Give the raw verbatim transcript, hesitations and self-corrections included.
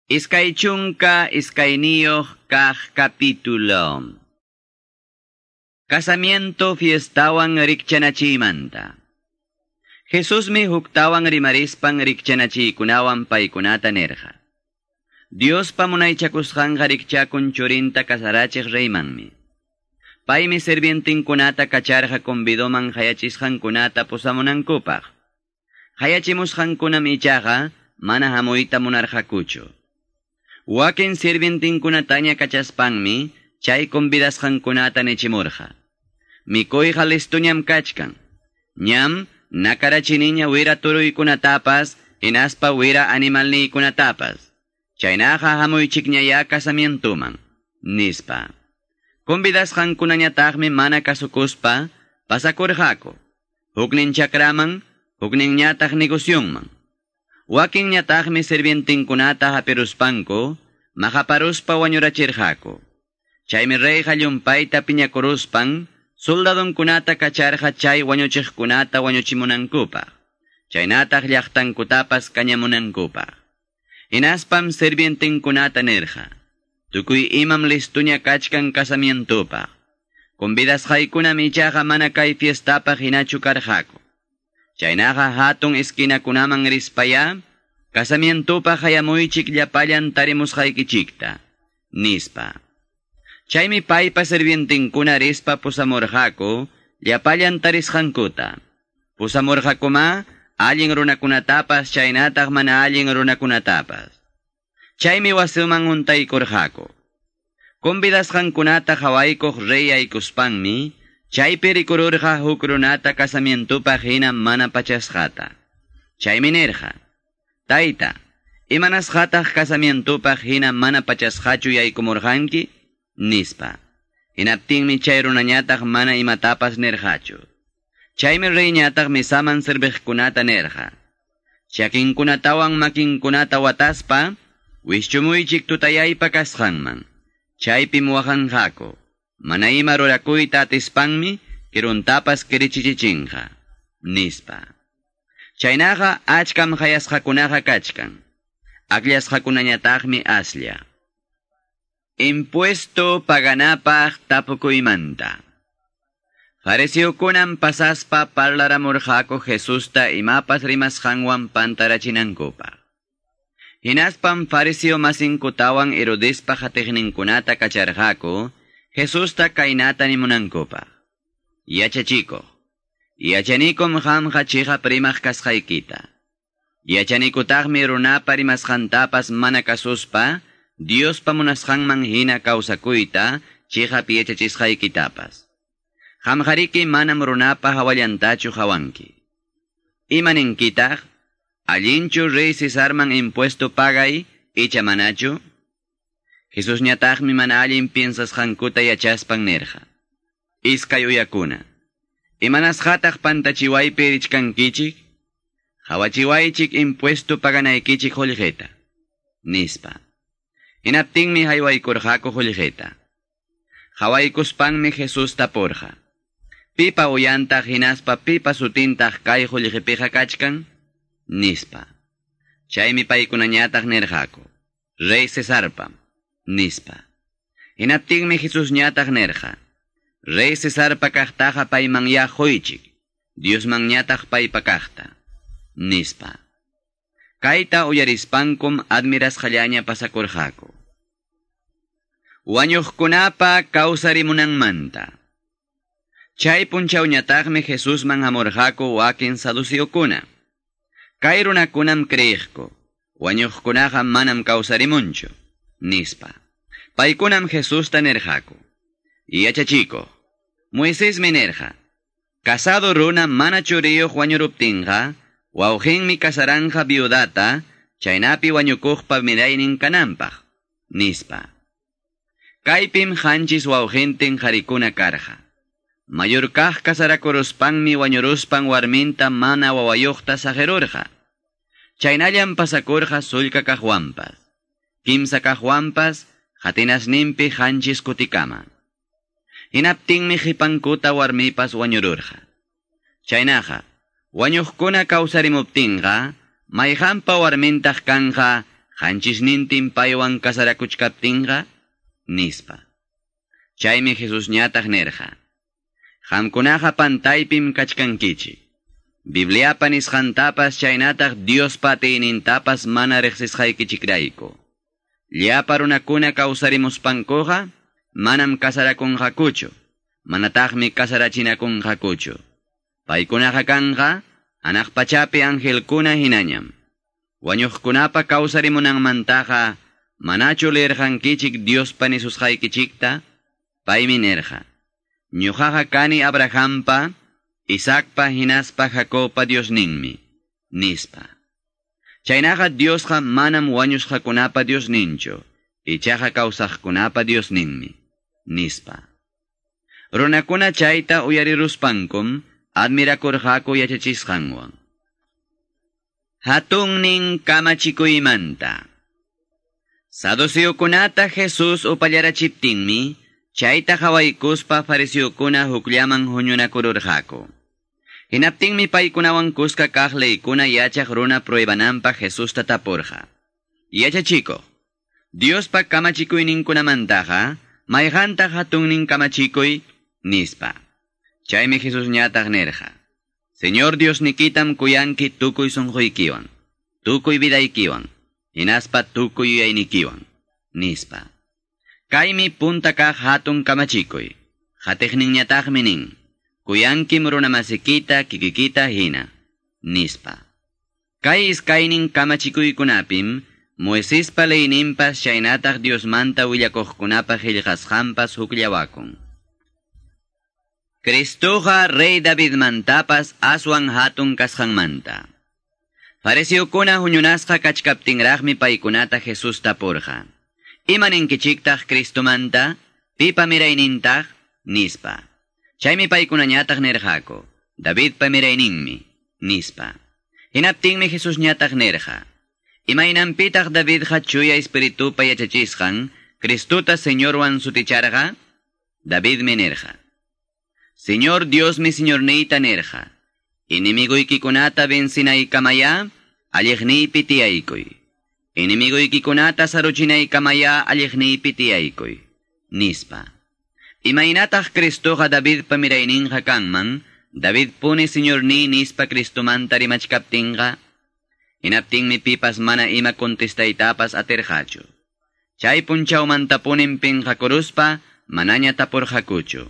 Iskay chunka iskayniyuq kaq capítulo. Casamiento fiestawan rikchanachiymanta. Jesusmi huktawan rimarispan rikchanachiykunawan paykunata nirqa. Diospa munaychakusqanqa rikchakun churinta kasarachiq reymanmi. Paymi sirvientinkunata kacharqa convidoman hayachisqankunata pusamunankupaq. Hayachimusqankunam ichaqa mana hamuyta munarqakuchu. Wakin sirvientinkunataña kachaspanmi chay convidasqankunata nichimurqa. Mikuyqa listuñam kachkan. Ñam nakarachiniña wira turuykunatapas hinaspa wira animalniykunatapas. Chaynaqa hamuychikñayá casamientoman, nispa. Convidasqankunañataqmi mana kasukuspa pasakurqaku. Huknin chakraman, hukninñataq negocionman. Wakinñataqmi sirvientinkunata hapiruspanku, maqaparuspa wañurachirqaku. Chaymi reyqa llumpayta piñakuruspan, soldadonkunata kacharqa chay wañuchiqkunata wañuchimunankupaq. Chaynataq llaqtankutapas kañamunankupaq. Hinaspam sirvientinkunata nirqa: tukuy imam listuña kachkan casamientopaq. Convidasqaykunam ichaqa mana kay fiestapaq hinachu karqaku. Chaynaqa hatun esquinakunaman rispaya, casamientopaq hayamuychik llapallan tarimusqaykichikta, nispa. Chaymi paypa sirvientinkuna rispa pusamurqaku llapallan tarisqankuta. Pusamurqakuma allin runakunatapas chaynataq mana allin runakunatapas. Chaymi wasiman huntaykurqaku. Convidasqankunata qhawaykuq rey aykuspanmi, chaypi rikururqa huk runata casamientopaq hina mana pachasqata. Chaymi nirqa: Tayta, imanasqataq casamientopaq hina mana pachasqachu yaykumurqanki? Nispa. Hinaptinmi chay runañataq mana imatapas nirqachu. Chaymi reyñataq mesaman serviqkunata nirqa: chakinkunatawan makinkunata wataspa, wischumuychik tutayaypa kasqanman. Chaypim waqanqaku. Mana ima rurakuyta atispanmi kiruntapas kirichichichinqa, nispa. Chaynaqa achkam hayasqakunaqa kachkan. Akllasqakunañataqmi aslla. Impuesto paganapaq tapukuymanta. Fariseokunam pasaspa parlaramurqaku Jesusta imapas rimasqanwan pantarachinankupaq. Hinaspam fariseo masinkutawan Herodespa qatiqninkunata kacharqaku Jesusta kaynata nimunankupaq: Yachachikuq, yachanikum qamqa chiqap rimaq kasqaykita. Yachanikutaqmi runapa rimasqantapas mana kasuspa Diospa munasqanman hina kawsakuyta chiqap yachachisqaykitapas. Qamqariki manam runapa hawallantachu hawanki. Imaninkitaq? Allinchu rey Cesarman impuesto pagay icha manachu? Jesusñataqmi mana allin piensasqankuta yachaspan nirqa: Iskay uyakuna, imanasqataq pantachiwaypi richkankichik? Hawachiwaychik impuesto paganaykichik qullqita, nispa. Hinaptinmi haywaykurqaku qullqita. Hawaykuspanmi Jesús tapurqa: Pipa uyantaq hinaspa pipa sutintaq kay qullqipiqa kachkan? Nispa. Chaymi paykunañataq nirqaku: Rey Cesarpa, nispa. Hinaptinmi Jesusñataq nirqa: Rey Cesarpa kaqtaqa paymanyá quychik, Diosmanñataq paypa kaqta, nispa. Kayta uyarispankum admirasqallaña pasakurqaku. Wañuqkunapa kawsarimunanmanta. Chay punchawñataqmi Jesusman hamurqaku wakin saduceokuna. Kay runakunam creeqku, wañuqkunaqa manam kawsarimunchu, nispa. Paykunam Jesusta nirqaku: Yachachikuq, Moisesmi nirqa, casado runa mana churiyuq wañuruptinqa, wawqinmi kasaranqa viudata, chaynapi wañukuqpa miraynin kananpaq, nispa. Kaypim qanchis wawqintin qarikuna karqa. Mayor kaq kasarakuruspanmi wañuruspan warminta mana wawayuqta saqirurqa. Chaynallam pasakurqa sullka kaqwanpas, kimsa kaqwanpas, qatinasninpi qanchis kutikama. Hinaptinmi qipankuta warmipas wañururqa. Chaynaqa, wañuqkuna kawsarimuptinqa, mayqanpa warmintaq kanqa Qanchisnintin paywan kasarakuchkaptinqa, nispa. Chaymi Jesusñataq nirqa: Qamkunaqa pantaypim kachkankichik. Bibliapa nisqantapas chaynataq Diospa atiynintapas mana riqsisqaykichikrayku. Llapa runakuna kawsarimuspankuqa manam kasarakunqakuchu, manataqmi kasarachinakunqakuchu. Paykunaqa kanqa hanaq pachapi angelkuna hinañam. Wañuqkunapa kawsarimunanmantaqa manachu leerqankichik Diospa nisusqaykichikta? Paymi nirqa: Ñuqaqa kani Abrahampa, Isaacpa hinaspa Jacobpa Diosninmi, nispa. Chaynaqa Diosqa manam wañusqakunapa Diosninchu, ichaqa kawsaqkunapa Diosninmi, nispa. Runakuna chayta uyariruspankum admirakurqaku yachachisqanwan. Hatunnin kamachikuymanta. Saduceokunata Jesús upallarachiptinmi, chayta qhawaykuspa fariseokuna hukllaman huñunakururqaku. Hinaptinmi paykunawan kuska kaq leykuna yachaq runa pruebananpaq Jesusta tapurqa: Yachachikuq, Diospa kamachikuyninkunamantaqa mayqantaq hatunnin kamachikuy, nispa. Chaymi Jesusñataq nirqa: Señor Diosnikitam kuyanki tukuy sunquykiwan, tukuy vidaykiwan, hinaspa tukuy yuyaynikiwan, nispa. Kaymi punta kaq hatun kamachikuy. Qatiqninñataqmi nin: Kuyankim runamasikita kikikita hina, nispa. Kay iskaynin kamachikuykunapim Moisespa leyninpas chaynataq Diosmanta willakuqkunapa qillqasqanpas hukllawakun. Cristoqa rey Davidmantapas aswan hatun kasqanmanta. Fariseokuna huñunasqa kachkaptinraqmi paykunata Jesús tapurqa: Ima ninkichiktaq Cristomanta? Pipa miraynintaq? Nispa. Chaymi paykunañataq nirqaku: Davidpa mirayninmi, nispa. Hinaptinmi Jesusñataq nirqa: Imaynanpitaq Davidqa chuya espiritupa yachachisqan Cristota Señorwan suticharqa? Davidmi nirqa: Señor Diosmi Señorniyta nirqa: Enemiguykikunata vencinaykamaya, alliqniypi tiyaykuy. Enemiguykikunata saruchinaykamaya, alliqniypi tiyaykuy, nispa. Imaynataq Cristoqa Davidpa mirayninqa kanman, David puni Señorniy nispa Cristomanta rimachkaptinqa? Hinaptinmi pipas mana ima contestaytapas atirqachu. Chay punchawmantapunim pinqakuruspa manaña tapurqakuchu.